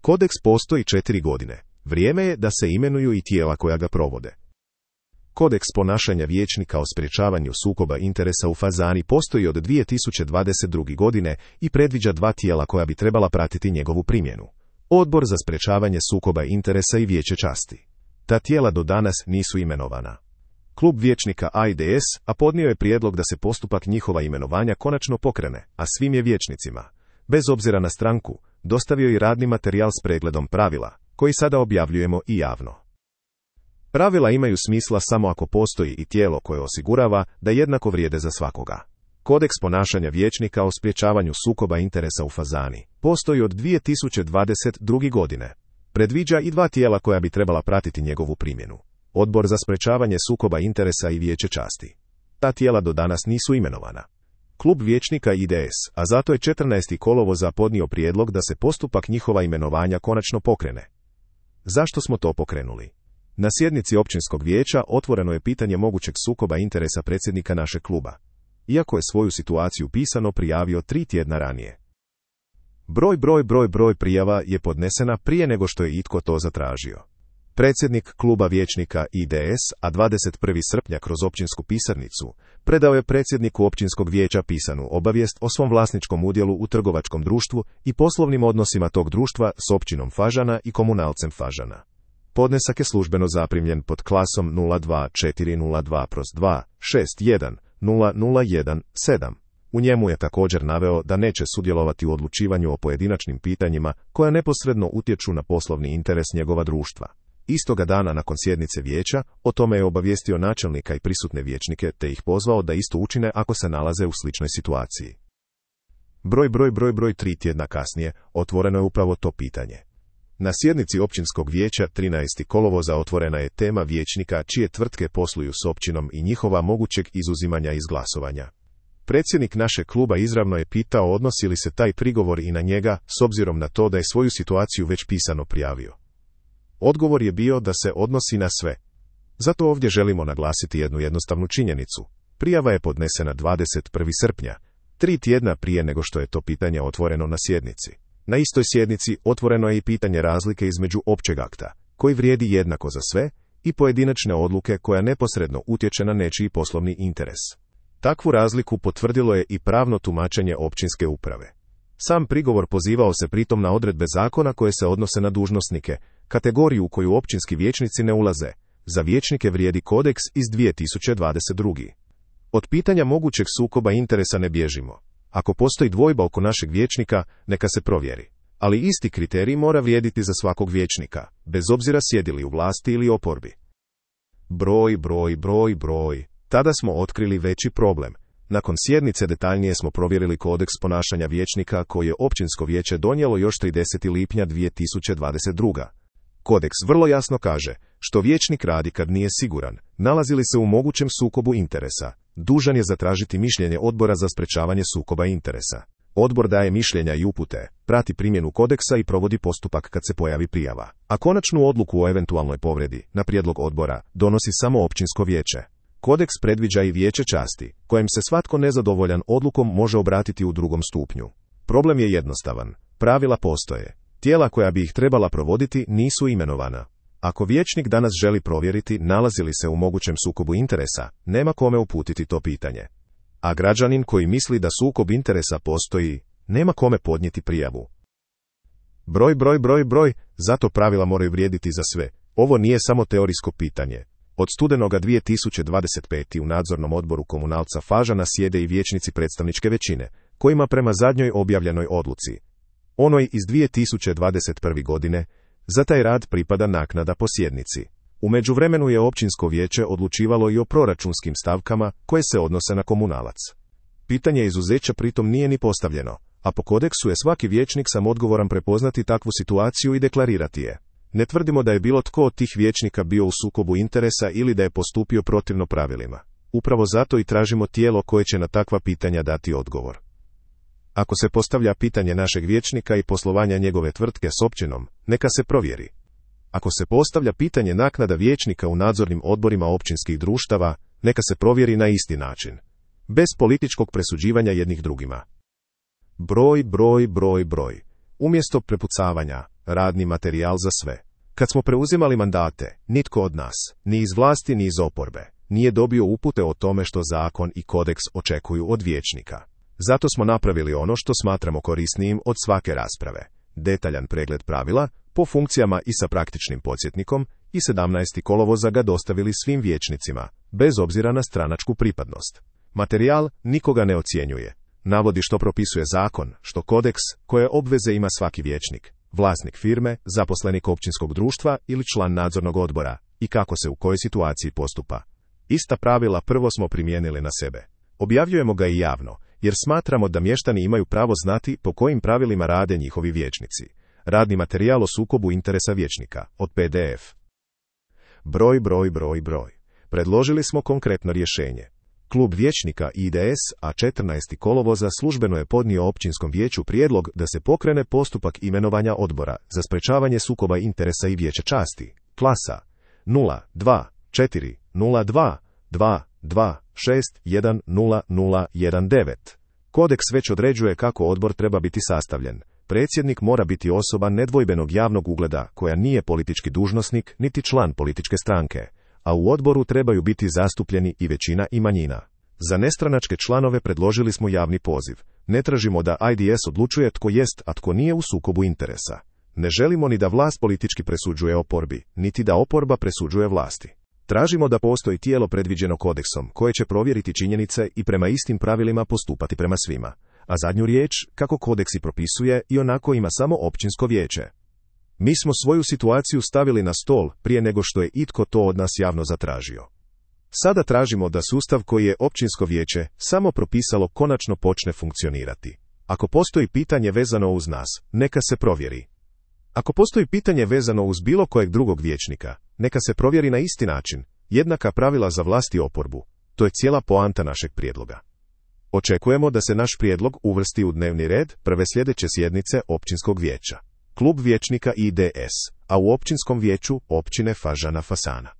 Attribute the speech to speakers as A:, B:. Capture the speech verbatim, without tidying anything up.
A: Kodeks postoji četiri godine. Vrijeme je da se imenuju i tijela koja ga provode. Kodeks ponašanja vijećnika o sprječavanju sukoba interesa u Fazani postoji od dvije tisuće dvadeset druge. godine i predviđa dva tijela koja bi trebala pratiti njegovu primjenu. Odbor za sprječavanje sukoba interesa i Vijeće časti. Ta tijela do danas nisu imenovana. Klub vijećnika A I D S a podnio je prijedlog da se postupak njihova imenovanja konačno pokrene, a svim je vijećnicima, bez obzira na stranku, dostavio i radni materijal s pregledom pravila, koji sada objavljujemo i javno. Pravila imaju smisla samo ako postoji i tijelo koje osigurava da jednako vrijede za svakoga. Kodeks ponašanja vijećnika o sprječavanju sukoba interesa u Fazani postoji od dvije tisuće dvadeset druge. godine. Predviđa i dva tijela koja bi trebala pratiti njegovu primjenu. Odbor za sprječavanje sukoba interesa i Vijeće časti. Ta tijela do danas nisu imenovana. Klub vijećnika I D S, a zato je četrnaestog kolovoza podnio prijedlog da se postupak njihova imenovanja konačno pokrene. Zašto smo to pokrenuli? Na sjednici općinskog vijeća otvoreno je pitanje mogućeg sukoba interesa predsjednika našeg kluba, iako je svoju situaciju pisano prijavio tri tjedna ranije. Broj broj broj broj prijava je podnesena prije nego što je itko to zatražio. Predsjednik kluba vijećnika I D S, a dvadeset prvog srpnja kroz općinsku pisarnicu, predao je predsjedniku općinskog vijeća pisanu obavijest o svom vlasničkom udjelu u trgovačkom društvu i poslovnim odnosima tog društva s općinom Fažana i komunalcem Fažana. Podnesak je službeno zaprimljen pod klasom nula dva četiri nula dva dva šest jedan nula nula jedan sedam. U njemu je također naveo da neće sudjelovati u odlučivanju o pojedinačnim pitanjima koja neposredno utječu na poslovni interes njegova društva. Istoga dana nakon sjednice vijeća, o tome je obavijestio načelnika i prisutne vijećnike te ih pozvao da isto učine ako se nalaze u sličnoj situaciji. Broj broj broj broj tri tjedna kasnije otvoreno je upravo to pitanje. Na sjednici općinskog vijeća trinaestog kolovoza otvorena je tema vijećnika čije tvrtke posluju s općinom i njihova mogućeg izuzimanja iz glasovanja. Predsjednik našeg kluba izravno je pitao odnosi li se taj prigovor i na njega, s obzirom na to da je svoju situaciju već pisano prijavio. Odgovor je bio da se odnosi na sve. Zato ovdje želimo naglasiti jednu jednostavnu činjenicu. Prijava je podnesena dvadeset prvog srpnja, tri tjedna prije nego što je to pitanje otvoreno na sjednici. Na istoj sjednici otvoreno je i pitanje razlike između općeg akta, koji vrijedi jednako za sve, i pojedinačne odluke koja neposredno utječe na nečiji poslovni interes. Takvu razliku potvrdilo je i pravno tumačenje općinske uprave. Sam prigovor pozivao se pritom na odredbe zakona koje se odnose na dužnosnike, kategoriju u koju općinski vijećnici ne ulaze. Za vijećnike vrijedi kodeks iz dvije tisuće dvadeset druge. Od pitanja mogućeg sukoba interesa ne bježimo. Ako postoji dvojba oko našeg vijećnika, neka se provjeri. Ali isti kriterij mora vrijediti za svakog vijećnika, bez obzira sjedili u vlasti ili oporbi. Broj, broj, broj, broj. Tada smo otkrili veći problem. Nakon sjednice detaljnije smo provjerili kodeks ponašanja vijećnika koji je općinsko vijeće donijelo još tridesetog lipnja dvije tisuće dvadeset druge. Kodeks vrlo jasno kaže, što vijećnik radi kad nije siguran, nalazi li se u mogućem sukobu interesa, dužan je zatražiti mišljenje odbora za sprječavanje sukoba interesa. Odbor daje mišljenja i upute, prati primjenu kodeksa i provodi postupak kad se pojavi prijava. A konačnu odluku o eventualnoj povredi, na prijedlog odbora, donosi samo općinsko vijeće. Kodeks predviđa i Vijeće časti, kojem se svatko nezadovoljan odlukom može obratiti u drugom stupnju. Problem je jednostavan. Pravila postoje. Tijela koja bi ih trebala provoditi nisu imenovana. Ako vijećnik danas želi provjeriti nalazi li se u mogućem sukobu interesa, nema kome uputiti to pitanje. A građanin koji misli da sukob interesa postoji, nema kome podnijeti prijavu. Broj, broj, broj, broj, zato pravila moraju vrijediti za sve. Ovo nije samo teorijsko pitanje. Od studenoga dvije tisuće dvadeset pete. u nadzornom odboru komunalca Fažana sjede i vijećnici predstavničke većine, kojima prema zadnjoj objavljenoj odluci, onoj iz dvije tisuće dvadeset prve. godine, za taj rad pripada naknada po sjednici. U međuvremenu je općinsko vijeće odlučivalo i o proračunskim stavkama koje se odnose na komunalac. Pitanje izuzeća pritom nije ni postavljeno, a po kodeksu je svaki vijećnik sam odgovoran prepoznati takvu situaciju i deklarirati je. Ne tvrdimo da je bilo tko od tih vijećnika bio u sukobu interesa ili da je postupio protivno pravilima. Upravo zato i tražimo tijelo koje će na takva pitanja dati odgovor. Ako se postavlja pitanje našeg vijećnika i poslovanja njegove tvrtke s općinom, neka se provjeri. Ako se postavlja pitanje naknada vijećnika u nadzornim odborima općinskih društava, neka se provjeri na isti način. Bez političkog presuđivanja jednih drugima. Broj, broj, broj, broj. Umjesto prepucavanja, radni materijal za sve. Kad smo preuzimali mandate, nitko od nas, ni iz vlasti ni iz oporbe, nije dobio upute o tome što zakon i kodeks očekuju od vijećnika. Zato smo napravili ono što smatramo korisnijim od svake rasprave. Detaljan pregled pravila, po funkcijama i sa praktičnim podsjetnikom, i sedamnaestog kolovoza ga dostavili svim vijećnicima, bez obzira na stranačku pripadnost. Materijal nikoga ne ocjenjuje. Navodi što propisuje zakon, što kodeks, koje obveze ima svaki vijećnik, vlasnik firme, zaposlenik općinskog društva ili član nadzornog odbora, i kako se u kojoj situaciji postupa. Ista pravila prvo smo primijenili na sebe. Objavljujemo ga i javno, jer smatramo da mještani imaju pravo znati po kojim pravilima rade njihovi vijećnici. Radni materijal o sukobu interesa vijećnika, od P D F. Broj, broj, broj, broj. Predložili smo konkretno rješenje. Klub vijećnika I D S, a četrnaestog kolovoza službeno je podnio općinskom vijeću prijedlog da se pokrene postupak imenovanja odbora za sprečavanje sukoba interesa i vijeća časti, klasa nula dva četiri nula dva dva dva šest jedan nula nula jedan devet. Kodeks već određuje kako odbor treba biti sastavljen. Predsjednik mora biti osoba nedvojbenog javnog ugleda koja nije politički dužnosnik niti član političke stranke, a u odboru trebaju biti zastupljeni i većina i manjina. Za nestranačke članove predložili smo javni poziv. Ne tražimo da I D S odlučuje tko jest, a tko nije u sukobu interesa. Ne želimo ni da vlast politički presuđuje oporbi, niti da oporba presuđuje vlasti. Tražimo da postoji tijelo predviđeno kodeksom koje će provjeriti činjenice i prema istim pravilima postupati prema svima. A zadnju riječ, kako kodeks i propisuje, i onako ima samo općinsko vijeće. Mi smo svoju situaciju stavili na stol prije nego što je itko to od nas javno zatražio. Sada tražimo da sustav koji je općinsko vijeće samo propisalo konačno počne funkcionirati. Ako postoji pitanje vezano uz nas, neka se provjeri. Ako postoji pitanje vezano uz bilo kojeg drugog vijećnika, neka se provjeri na isti način, jednaka pravila za vlast i oporbu. To je cijela poanta našeg prijedloga. Očekujemo da se naš prijedlog uvrsti u dnevni red prve sljedeće sjednice općinskog vijeća. Klub vijećnika I D S, a u općinskom vijeću općine Fažana Fasana.